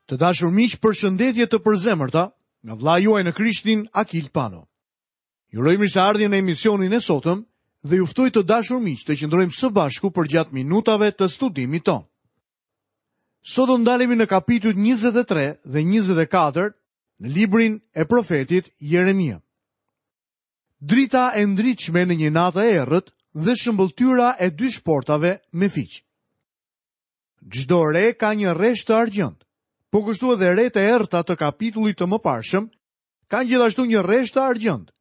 Të dashur miq, përshëndetje të përzemërta nga vëllai juaj në Krishtin Akil Pano. Ju uroj mirëseardhjen në emisionin e sotëm dhe ju ftoj të dashur miq të qëndrojmë së bashku përgjatë minutave të studimit tonë. Sot do ndalemi në kapitujt 23 dhe 24 në librin e profetit Jeremia. Drita e ndritshme në një natë të errët dhe shëmbëlltyra e dy shportave me fiq. Çdo re ka një rresht të argjendtë. Po kështu edhe retë e errëta të kapitullit të mëparshëm kanë gjithashtu një rresht të argjendtë.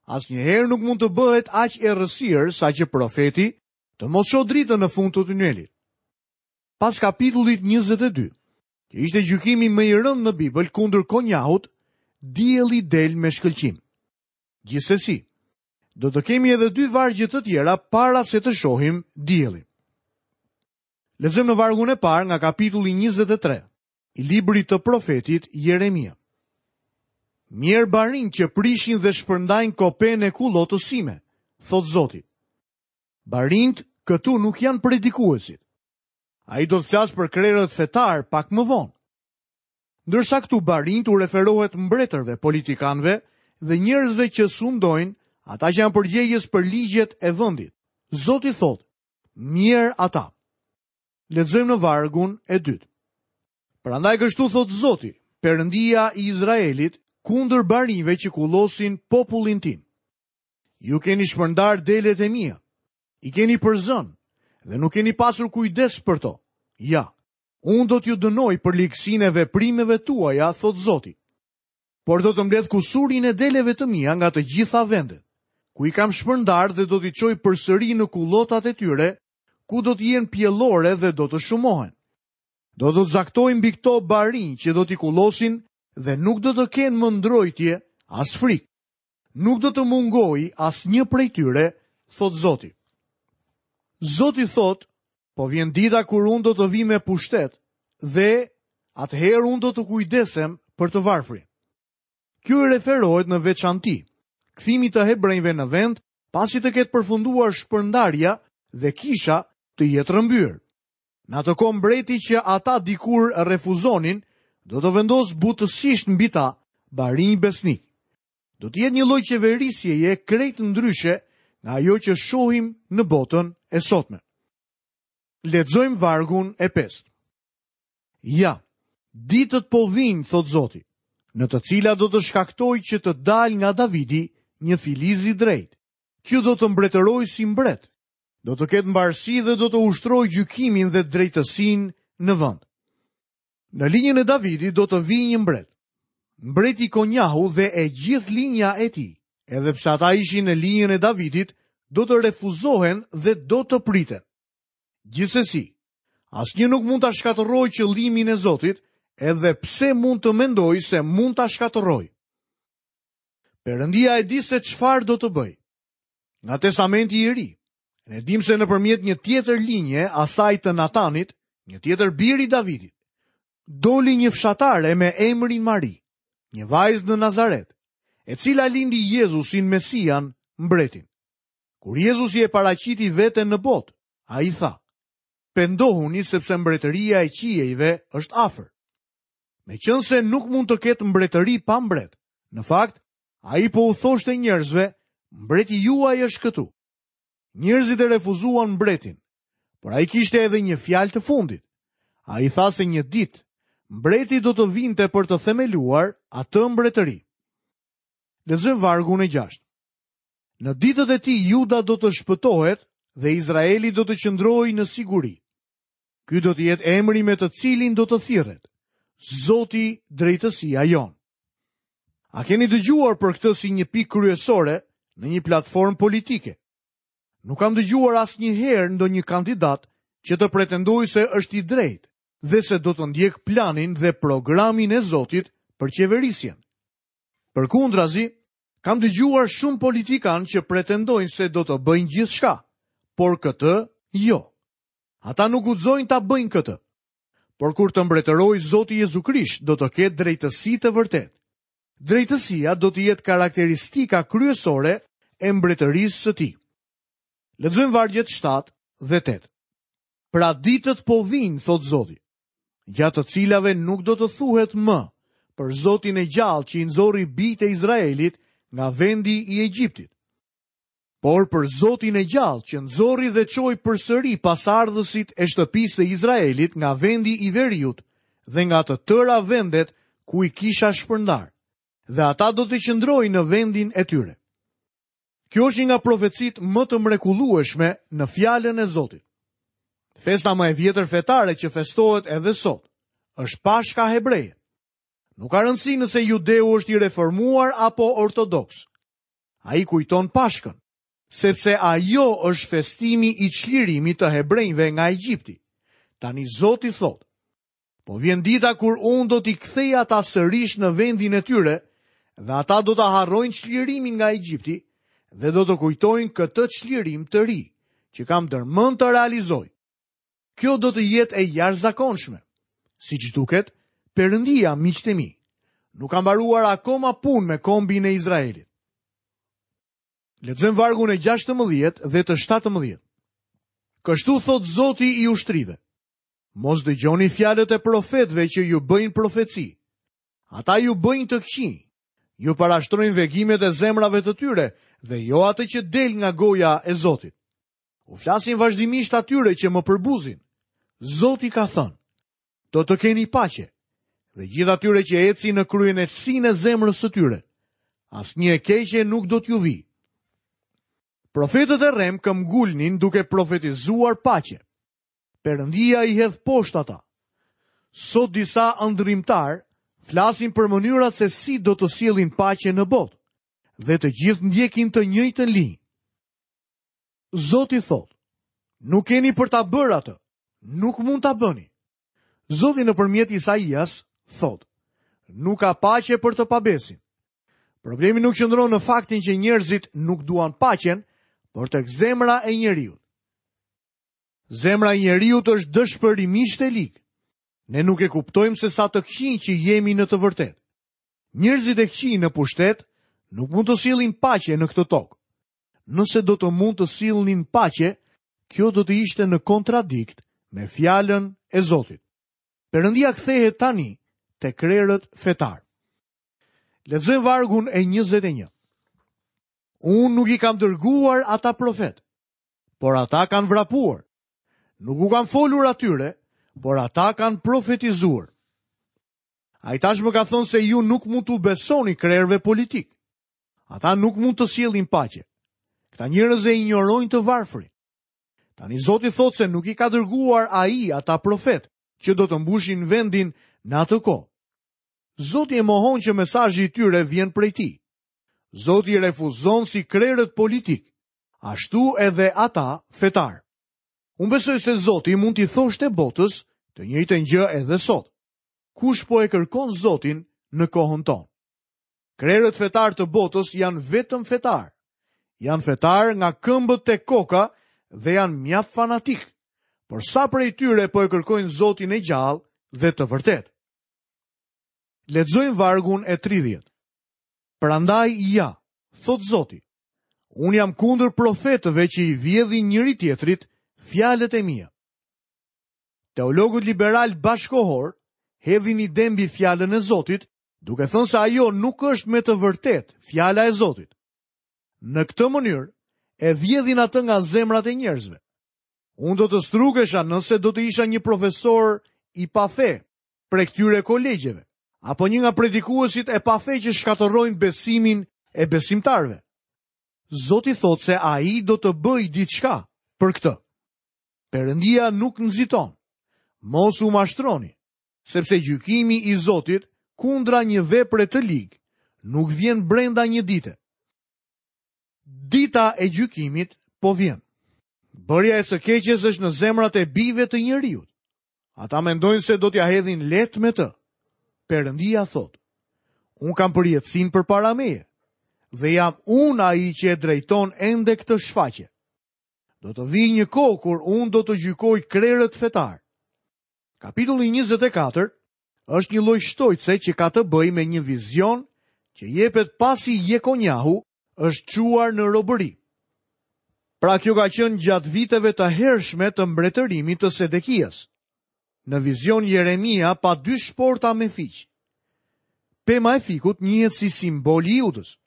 Asnjëherë nuk mund të bëhet aq errësirë saqë profeti të mos shohë dritën në fund të tunelit. Pas kapitullit 22, që ishte gjykimi më i rëndë në Bibël kundër Konjahut, dielli del me shkëlqim. Gjithsesi, do të kemi edhe dy vargje të tjera para se të shohim diellin. Lexojmë në vargun e parë nga kapitulli 23 i librit të profetit Jeremia. Mjerë barinjtë që prishin dhe shpërndajnë kopenë e kullotës sime, thotë Zoti. Barinjtë këtu nuk janë predikuesit. Ai do të flasë për krerët fetarë pak më vonë. Ndërsa këtu barinjtë u referohet mbretërve, politikanëve dhe njerëzve që sundojnë, ata që janë përgjegjës për ligjet e vendit. Zoti thotë, mjerë ata. Lexojmë në vargun e dytë. Prandaj kështu thotë Zoti, Perëndia i Izraelit, kundër barinjve që kullosin popullin tim. Ju keni shpërndarë delet e mia, i keni përzënë dhe nuk keni pasur kujdes për to. Ja, Unë do t'ju dënoj për ligësinë e veprimeve tuaja, thotë Zoti. Por do të mbledh kusurin e deleve të mia nga të gjitha vendet, ku i kam shpërndarë dhe do t'i çoj përsëri në kullotat e tyre, ku do të jenë pjellore dhe do të shumohen. Do të caktoj mbi këto barinj që do t'i kullosin dhe nuk do të kenë më ndrojtje as frikë. Nuk do të mungojë asnjë prej tyre, thotë Zoti. Zoti thotë, Po vjen dita kur unë do të vij me pushtet dhe atëherë unë do të kujdesem për të varfrin. Kjo i referohet në veçanti kthimit të hebrenjve në vend pasi të ketë përfunduar shpërndarja dhe kisha të jetë rrëmbyer. Në atë kohë mbreti që ata dikur refuzonin, do të vendosë butësisht mbi ta barinj besnikë. Do të jetë një lloj qeverisjeje krejt ndryshe nga ajo që shohim në botën e sotme. Lexojmë vargun e pestë. Ja, ditët po vijnë, thotë Zoti, në të cilat do të shkaktoj që të dalë nga Davidi një filiz i drejtë. Që do të mbretërojë si mbret, do të ketë mbarësi dhe do të ushtrojë gjykimin dhe drejtësinë në vend. Në linjën e Davidit do të vijë një mbret. Mbreti Konjahu dhe e gjithë linja e tij, edhe pse ata ishin në linjën e Davidit, do të refuzohen dhe do të priten. Gjithsesi, asnjë nuk mund ta shkatërrojë qëllimin e Zotit, edhe pse mund të mendojë se mund ta shkatërrojë. Perëndia e di se çfarë do të bëjë. Nga Testamenti i Ri, ne dimë se nëpërmjet një tjetër linje, asaj të Natanit, një tjetër bir i Davidit, doli një fshatare me emrin Mari, një vajzë në Nazaret, e cila lindi Jezusin Mesian, mbretin. Kur Jezusi e paraqiti veten në botë, ai tha: Pendohuni sepse mbretëria e qiejve është afër. Meqenëse nuk mund të ketë mbretëri pa mbret. Në fakt, Ai po u thoshte njerëzve, mbreti juaj është këtu. Njerëzit e refuzuan mbretin, por ai kishte edhe një fjalë të fundit. Ai tha se një ditë, mbreti do të vinte për të themeluar atë mbretëri. Lexojmë vargun e gjashtë. Në ditët e tij Juda do të shpëtohet dhe Izraeli do të qëndrojë në siguri. Ky do të jetë emri me të cilin do të thirret, Zoti drejtësia jonë. A keni dëgjuar për këtë si një pikë kryesore në një platformë politike? Nuk kam dëgjuar asnjëherë ndonjë kandidat që të pretendojë se është i drejtë dhe se do të ndjekë planin dhe programin e Zotit për qeverisjen. Përkundrazi, kam dëgjuar shumë politikanë që pretendojnë se do të bëjnë gjithçka, por këtë jo. Ata nuk guxojnë ta bëjnë këtë. Por kur të mbretërojë Zoti Jezu Krisht, do të ketë drejtësi të vërtetë. Drejtësia do të jetë karakteristika kryesore e mbretërisë së tij. Lexojmë vargjet 7 dhe 8. Pra ditët po vijnë, thotë Zoti. gjatë të cilave nuk do të thuhet më për Zotin e gjallë që i nxori bijtë e Izraelit nga vendi i Egjiptit. Por për Zotin e gjallë që nxori dhe çoi përsëri pasardhësit e shtëpisë së Izraelit nga vendi i veriut dhe nga të tëra vendet ku i kisha shpërndarë, dhe ata do të qëndrojnë në vendin e tyre. Kjo është një nga profecitë më të mrekullueshme në fjalën e Zotit. Festa më e vjetër fetare që festohet edhe sot është Pashka hebreje. Nuk ka rëndësi nëse judeu është i reformuar apo ortodoks. Ai kujton Pashkën, sepse ajo është festimi i çlirimit të hebrenjve nga Egjipti. Tani Zoti thotë, Po vjen dita kur unë do t'i kthej ata sërish në vendin e tyre dhe ata do ta harrojnë çlirimin nga Egjipti dhe do të kujtojnë këtë çlirim të ri që kam ndërmend të realizoj. Kjo do të jetë e jashtëzakonshme. Siç duket, Perëndia, miqtë e mi, nuk ka mbaruar akoma punë me kombin e Izraelit. Lexojmë vargun e 16 dhe të 17. Kështu thotë Zoti i ushtrive. Mos dëgjoni fjalët e profetëve që ju bëjnë profeci. Ata ju bëjnë të këqinj. Ju parashtrojnë vegimet e zemrave të tyre dhe jo atë që del nga goja e Zotit. U flasin vazhdimisht atyre që më përbuzin. Zoti ka thënë, do të keni paqe, dhe gjithë atyre që ecin në kryeneçësinë e zemrës së tyre, asnjë e keqe nuk do t'ju vijë. Profetët e rremë këmbgulnin duke profetizuar paqe. Perëndia i hedh poshtë ata. Sot disa ëndërrimtarë flasin për mënyrat se si do të sjellin paqe në botë dhe të gjithë ndjekin të njëjtën linjë. Zoti thotë, nuk keni për ta bërë atë, nuk mund ta bëni. Zoti nëpërmjet Isaias thotë, nuk ka paqe për të pabesin. Problemi nuk qëndron në faktin që njerëzit nuk duan paqen, por tek zemra e njeriut. Zemra e njeriut është dëshpërimisht e ligë. Ne nuk e kuptojmë se sa të këqinj që jemi në të vërtetë. Njerëzit e këqij në pushtet nuk mund të sjellin paqe në këtë tokë. Nëse do të mund të sillnin paqe, kjo do të ishte në kontradikt me fjalën e Zotit. Perëndia kthehet tani te krerët fetarë. Lexojmë vargun e 21. Unë nuk i kam dërguar ata profetë, por ata kanë vrapuar. Nuk u kam folur atyre, por ata kanë profetizuar. Ai tashmë ka thënë se ju nuk mund t'u besoni krerëve politikë. Ata nuk mund të sjellin paqe. Këta njerëz e injorojnë të varfrin. Tani Zoti thotë se nuk i ka dërguar ai ata profetë që do të mbushin vendin në atë kohë. Zoti e mohon që mesazhi i tyre vjen prej tij. Zoti i refuzon si krerët politikë, ashtu edhe ata fetarë. Unë besoj se Zoti mund t'i thoshte botës të njëjtën gjë edhe sot. Kush po e kërkon Zotin në kohën tonë? Krerët fetarë të botës janë vetëm fetarë. Janë fetarë nga këmbët te koka dhe janë mjaft fanatikë. Por sa prej tyre po e kërkojnë Zotin e gjallë dhe të vërtetë? Lexojmë vargun e 30. Prandaj ja, thotë Zoti, unë jam kundër profetëve që i vjedhin njëri-tjetrit fjalët e mia. Teologët liberalë bashkëkohorë hedhin ide mbi fjalën e Zotit, duke thënë se ajo nuk është me të vërtetë fjala e Zotit. Në këtë mënyrë, e vjedhin atë nga zemrat e njerëzve. Unë do të strukesha nëse do të isha një profesor i pafe prej këtyre kolegjeve, apo një nga predikuesit e pafe që shkatërrojnë besimin e besimtarëve. Zoti thotë se ai do të bëjë diçka për këtë. Perëndia nuk nxiton. Mos u mashtroni, sepse gjykimi i Zotit kundra një vepre të ligë nuk vjen brenda një dite. Dita e gjykimit po vjen. Bërja e së keqes është në zemrat e bijve të njeriut. Ata mendojnë se do t'ia hedhin lehtë me të. Perëndia thotë, unë kam përjetësinë përpara meje, dhe jam unë ai që e drejton ende këtë shfaqje. Do të vijë një kohë kur unë do të gjykoj krerët fetarë. Kapitulli 24 është një lloj shtojce që ka të bëjë me një vizion që jepet pasi Jekonjahu është çuar në robëri. Pra kjo ka qenë gjatë viteve të hershme të mbretërimit të Sedekias. Në vizion Jeremia pa dy shporta me fiq. Pema e fikut njihet si simboli i Judës.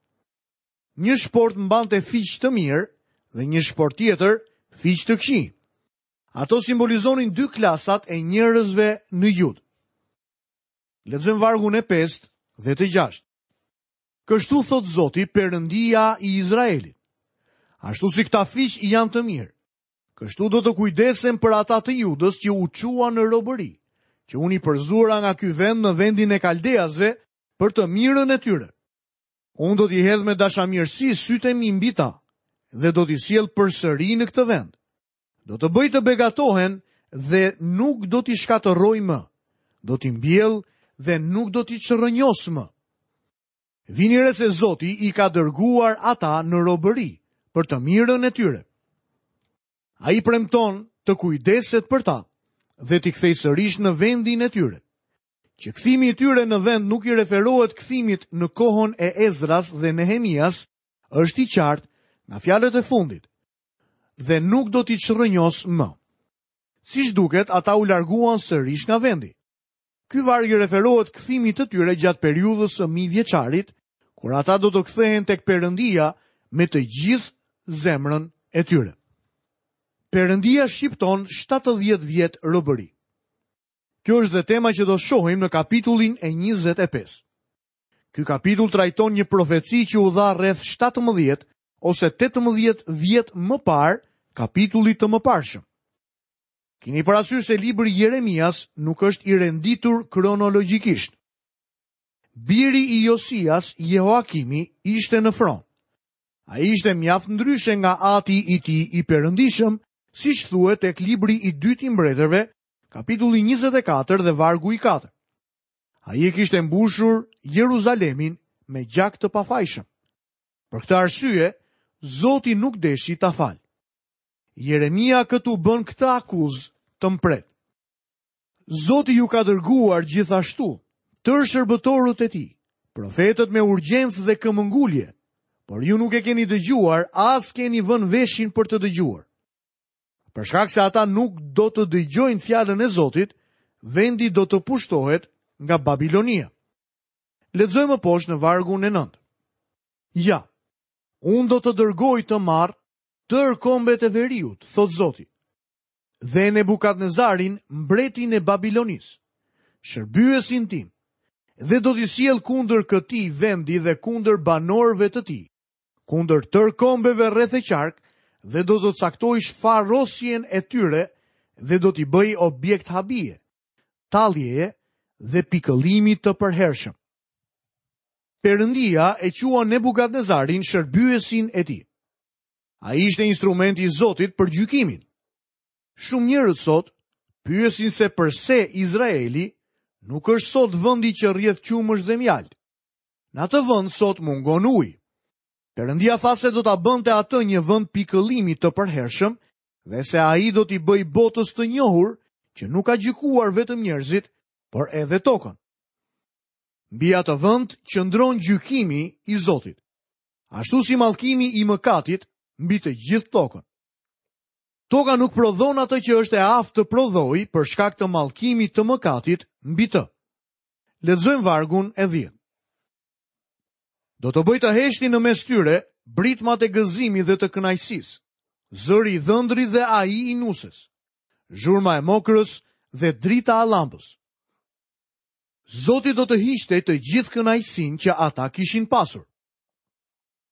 Një shportë mbante fiq të mirë dhe një shportë tjetër fiq të këqij. Ato simbolizonin dy klasat e njerëzve në Judë. Lexojmë vargun e 5 dhe të 6. Kështu thotë Zoti, Perëndia i Izraelit. Ashtu si këta fiq janë të mirë, kështu do të kujdesem për ata të Judës që u çuan në robëri, që unë i përzura nga ky vend në vendin e Kaldeasve për të mirën e tyre. Unë do t'i hedh me dashamirësi sytë e mi mbi ta dhe do t'i sjell përsëri në këtë vend. Do të bëj të begatohen dhe nuk do t'i shkatërroj më. Do t'i mbjell dhe nuk do t'i çrrënjos më. Vini re se Zoti i ka dërguar ata në robëri për të mirën e tyre. Ai premton të kujdeset për ta dhe t'i kthejë sërish në vendin e tyre. Që kthimi i tyre në vend nuk i referohet kthimit në kohën e Ezras dhe Nehemias, është i qartë nga fjalët e fundit. Dhe nuk do t'i çrrënjos më. Siç duket, ata u larguan sërish nga vendi. Ky varg i referohet kthimit të tyre gjatë periudhës së mijëvjeçarit, kur ata do të kthehen tek Perëndia me të gjithë zemrën e tyre. Perëndia shqipton 70 vjet robëri. Kjo është dhe tema që do shohim në kapitullin e 25. Ky kapitull trajton një profeci që u dha rreth 17 ose 18 vjet më parë kapitullit të mëparshëm. Kini parasysh se libri i Jeremias nuk është i renditur kronologjikisht. Biri i Josias, Jehoakimi, ishte në fron. Ai ishte mjaft ndryshe nga ati i tij i perëndishëm, siç thuhet tek libri i dytë i mbretërve, kapitulli 24 dhe vargu i 4. Ai e kishte mbushur Jeruzalemin me gjak të pafajshëm. Për këtë arsye, Zoti nuk deshi ta falë. Jeremia këtu bën këtë akuzë të mprehtë. Zoti ju ka dërguar gjithashtu tërë shërbëtorët e tij, profetët me urgjencë dhe këmbëngulje, por ju nuk e keni dëgjuar, as keni vënë veshin për të dëgjuar. Për shkak se ata nuk do të dëgjojnë fjalën e Zotit, vendi do të pushtohet nga Babilonia. Lexojmë më poshtë në vargun e 9. Ja, unë do të dërgoj të marrë tërë kombet e veriut, thotë Zoti, dhe Nebukadnezarin, mbretin e Babilonisë, shërbyesin tim, dhe do t'i sjell kundër këtij vendi dhe kundër banorëve të tij, kundër tërë kombeve rreth e qark dhe do të caktoj shfarosjen e tyre dhe do t'i bëj objekt habie, talljeje dhe pikëllimi të përhershëm. Perëndia e quan Nebukadnezarin shërbyesin e tij. Ai ishte instrumenti i Zotit për gjykimin. Shumë njerëz sot pyesin se përse Izraeli nuk është sot vendi që rrjedh qumësht dhe mjaltë. Në atë vend sot mungon uji. Perëndia tha se do ta bënte atë një vend pikëllimi të përhershëm dhe se ai do t'i bëjë botës të njohur që nuk ka gjykuar vetëm njerëzit, por edhe tokën. Mbi atë vend qëndron gjykimi i Zotit, ashtu si mallkimi i mëkatit mbi të gjithë tokën. Toka nuk prodhon atë që është e aftë të prodhojë për shkak të mallkimit të mëkatit mbi të. Lexojmë vargun e 10. Do të bëj të heshtin në mes tyre britmat e gëzimit dhe të kënaqësisë, zëri i dhëndrit dhe ai i nuses, zhurma e mokrës dhe drita e llambës. Zoti do të hiqte të gjithë kënaqësinë që ata kishin pasur.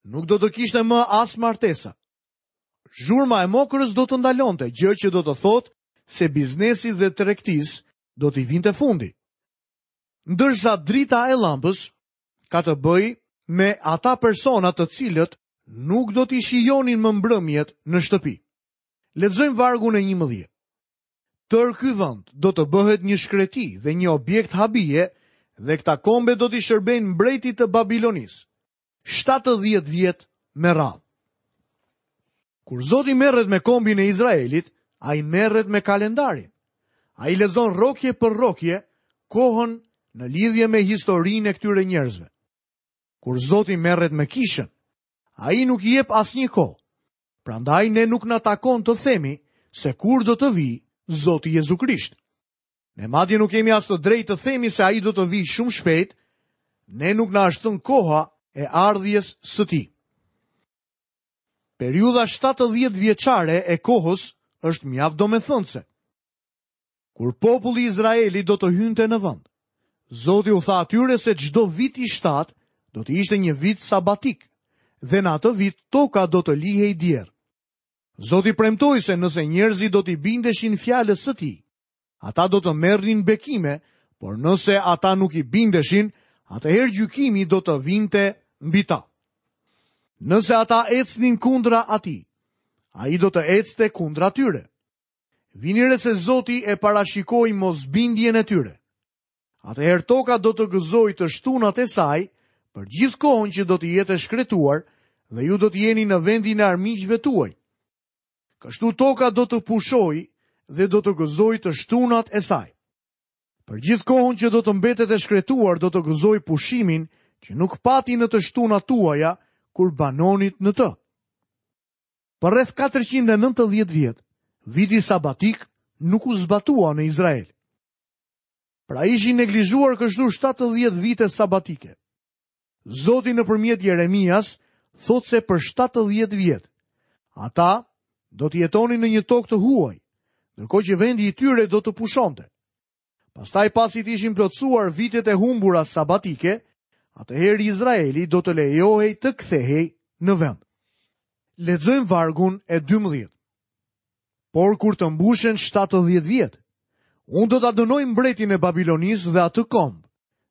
Nuk do të kishte më as martesa. Zhurma e mokrës do të ndalonte, gjë që do të thotë se biznesit dhe tregtisë do t'i vinte fundi. Ndërsa drita e llambës ka të bëjë me ata persona të cilët nuk do t'i shijonin më mbrëmjet në shtëpi. Lexojmë vargun e 11. Tërë ky vend do të bëhet një shkreti dhe një objekt habie dhe këta kombe do t'i shërbejnë mbretit të Babilonisë. 70 vjet me radhë. Kur Zoti merret me kombin e Izraelit, ai merret me kalendarin. Ai lexon rrokje për rrokje kohën në lidhje me historinë e këtyre njerëzve. Kur Zoti merret me kishën, ai nuk i jep asnjë kohë. Prandaj ne nuk na takon të themi se kur do të vijë Zoti Jezu Krisht. Ne madje nuk kemi as të drejtë të themi se ai do të vijë shumë shpejt, ne nuk na është thënë koha e ardhjes së tij. Periudha 70 vjeçare e kohës është mjaft domethënëse. Kur populli i Izraelit do të hynte në vend, Zoti u tha atyre se çdo vit i shtatë do të ishte një vit sabatik dhe në atë vit toka do të lihej djerrë. Zoti premtoi se nëse njerëzit do t'i bindeshin fjalës së tij, ata do të merrnin bekime, por nëse ata nuk i bindeshin, atëherë gjykimi do të vinte mbi ta. Nëse ata ecnin kundra atij, ai do të ecte kundra tyre. Vini re se Zoti e parashikoi mosbindjen e tyre. Atëherë toka do të gëzojë të shtunat e saj për gjithë kohën që do të jetë e shkretuar dhe ju do të jeni në vendin e armiqve tuaj. Kështu toka do të pushojë dhe do të gëzojë të shtunat e saj. Për gjithë kohën që do të mbetet e shkretuar do të gëzojë pushimin që nuk pati në të shtunat tuaja kur banonit në të. Për rreth 490 vjet, viti sabatik nuk u zbatua në Izrael. Pra ishin neglizhuar kështu 70 vite sabatike. Zoti nëpërmjet Jeremias thotë se për 70 vjet ata do të jetonin në një tokë të huaj, ndërkohë që vendi i tyre do të pushonte. Pastaj pasi të ishin plotësuar vitet e humbura sabatike, atëherë Izraeli do të lejohej të kthehej në vend. Lexojmë vargun e 12. Por kur të mbushen 70 vjet, unë do ta dënoj mbretin e Babilonisë dhe atë komb,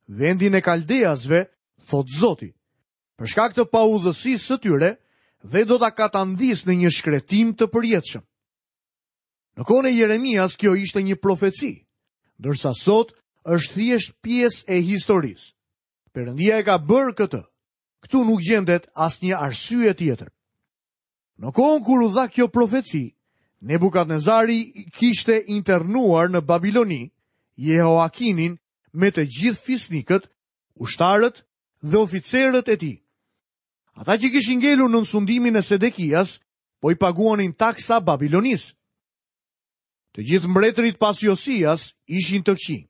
vendin e Kaldeasve, thotë Zoti, për shkak të paudhësisë së tyre dhe do ta katandis në një shkretimë të përjetshëm. Në kohën e Jeremias kjo ishte një profeci, ndërsa sot është thjesht pjesë e historisë. Perëndia e ka bërë këtë. Këtu nuk gjendet asnjë arsye tjetër. Në kohën kur u dha kjo profeci, Nebukadnezari kishte internuar në Babiloni Jehoakinin me të gjithë fisnikët, ushtarët dhe oficerët e tij. Ata që kishin ngelur nën sundimin e Sedekias, po i paguanin taksa Babilonisë. Të gjithë mbretërit pas Josias ishin të këqij.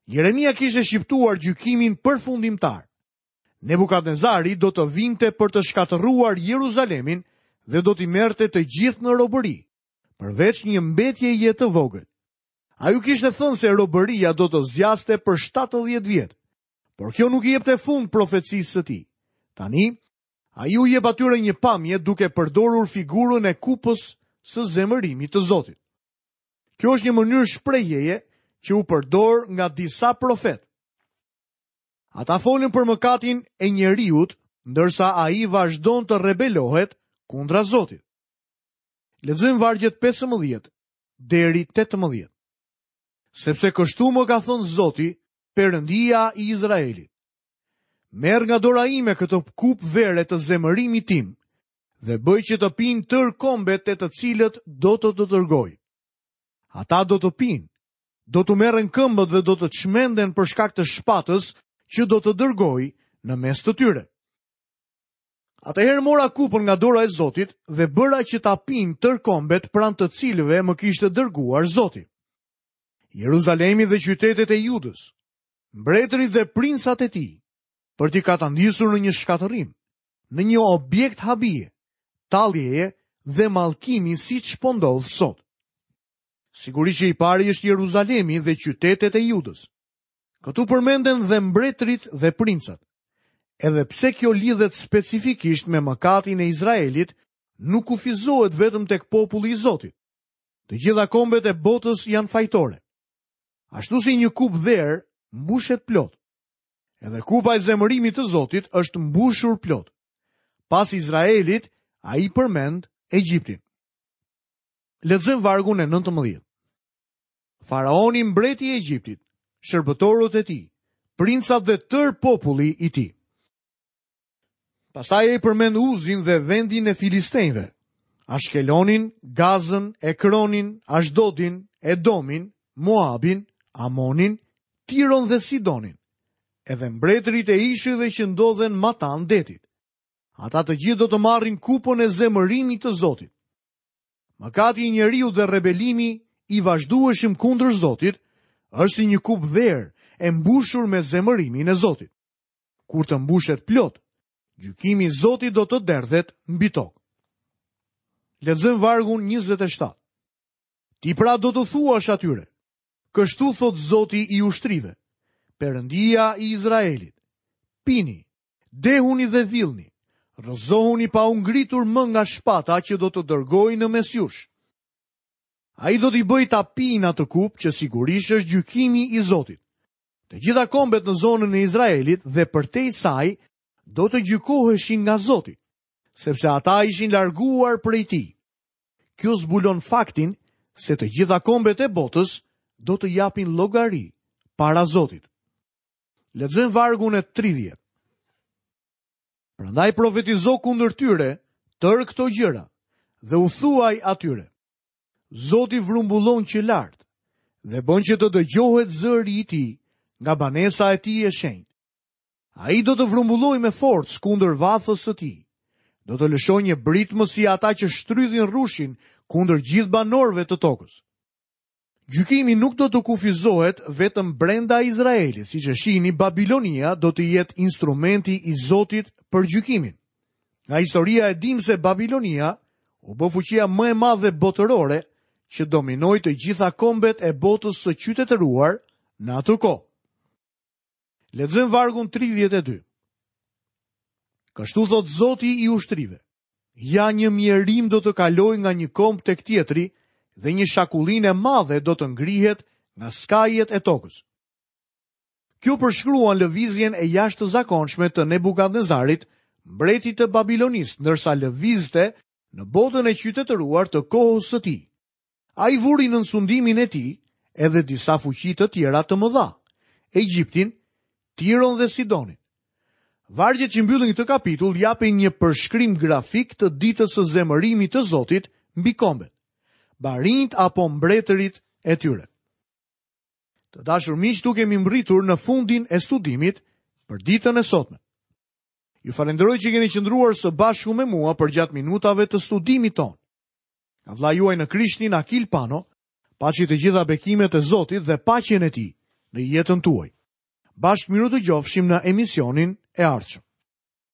Jeremia kishte shqiptuar gjykimin përfundimtar. Nebukadnezari do të vinte për të shkatërruar Jeruzalemin dhe do t'i merrte të gjithë në robëri, përveç një mbetjeje të vogël. Ai u kishte thënë se robëria do të zgjaste për 70 vjet, por kjo nuk i jepte fund profecisë së tij. Tani, ai u jep atyre një pamje duke përdorur figurën e kupës së zemërimit të Zotit. Kjo është një mënyrë shprehjeje që u përdor nga disa profetë. Ata folën për mëkatin e njeriut, ndërsa ai vazhdon të rebelohet kundra Zotit. Lexojmë vargjet 15 deri 18. Sepse kështu më ka thënë Zoti, Perëndia i Izraelit. Merr nga dora ime këtë kupë vere të zemërimit tim dhe bëj që të pinë tërë kombet te të cilët do të të dërgoj. Ata do të pinë, do t'u merren këmbët dhe do të çmenden për shkak të shpatës që do të dërgoj në mes të tyre. Atëherë mora kupën nga dora e Zotit dhe bëra që ta pinë tërë kombet pranë të cilëve më kishte dërguar Zoti. Jeruzalemi dhe qytetet e Judës, mbretërit dhe princat e tij, për t'i katandisur në një shkatërrim, në një objekt habie, talljeje dhe mallkimi siç po ndodh sot. Sigurisht që i pari është Jeruzalemi dhe qytetet e Judës. Këtu përmenden dhe mbretërit dhe princat. Edhe pse kjo lidhet specifikisht me mëkatin e Izraelit, nuk kufizohet vetëm tek populli i Zotit. Të gjitha kombet e botës janë fajtore. Ashtu si një kupë verë mbushet plot. Edhe kupa e zemërimit të Zotit është mbushur plot. Pas Izraelit, ai përmend Egjiptin. Lexojmë vargun e 19. Faraoni mbreti i Egjiptit, shërbëtorët e tij, princat dhe tërë populli i tij. Pastaj ai përmend Uzin dhe vendin e Filistenjve, Ashkelonin, Gazën, Ekronin, Ashdodin, Edomin, Moabin, Amonin, Tiron dhe Sidonin, edhe mbretërit e ishujve që ndodhen matanë detit. Ata të gjithë do të marrin kupën e zemërimit të Zotit. Mëkati i njeriut dhe rebelimi i vazhdueshëm kundër Zotit. Është si një kupë verë e mbushur me zemërimin e Zotit. Kur të mbushet plot, gjykimi i Zotit do të derdhet mbi tokë. Lexojmë vargun 27. Ti pra do t'u thuash atyre, kështu thotë Zoti i ushtrive, Perëndia i Izraelit, pini, dehuni dhe villni, rrëzohuni pa u ngritur më nga shpata që do të dërgoj në mes jush. Ai do t'i bëjë ta pinë atë kupë që sigurisht është gjykimi i Zotit. Të gjitha kombet në zonën e Izraelit dhe përtej saj do të gjykoheshin nga Zoti, sepse ata ishin larguar prej tij. Kjo zbulon faktin se të gjitha kombet e botës do të japin llogari para Zotit. Lexojmë vargun e 30. Prandaj profetizo kundër tyre tërë këto gjëra dhe u thuaj atyre. Zoti vrumbullon që lart dhe bën që të dëgjohet zëri i tij nga banesa e tij e shenjtë. Ai do të vrumbullojë me forcë kundër vathës së tij. Do të lëshojë një britmë si ata që shtrydhin rrushin kundër gjithë banorëve të tokës. Gjykimi nuk do të kufizohet vetëm brenda Izraelit, siç e shihni, Babilonia do të jetë instrumenti i Zotit për gjykimin. Nga historia e dimë se Babilonia u bë fuqia më e madhe botërore që dominoi të gjitha kombet e botës së qytetëruar në atë kohë. Lexojmë vargun 32. Kështu thotë Zoti i ushtrive. Ja një mjerim do të kalojë nga një komb tek tjetri dhe një shakullinë e madhe do të ngrihet nga skajet e tokës. Kjo përshkruan lëvizjen e jashtëzakonshme të Nebukadnezarit, mbretit të Babilonisë, ndërsa lëvizte në botën e qytetëruar të kohës së tij. Ai vuri nën sundimin e tij edhe disa fuqi të tjera të mëdha, Egjiptin, Tiron dhe Sidonin. Vargjet që mbyllin këtë kapitull japin një përshkrim grafik të ditës së zemërimit të Zotit mbi kombet, barinjtë apo mbretërit e tyre. Të dashur miq, këtu kemi mbërritur në fundin e studimit për ditën e sotme. Ju falënderoj që keni qëndruar së bashku me mua përgjatë minutave të studimit tonë. Nga vëllai juaj në Krishtin Akil Pano, paçi të gjitha bekimet e Zotit dhe paqen e tij në jetën tuaj. Bashkë mirudëgjofshim në emisionin e ardhshëm.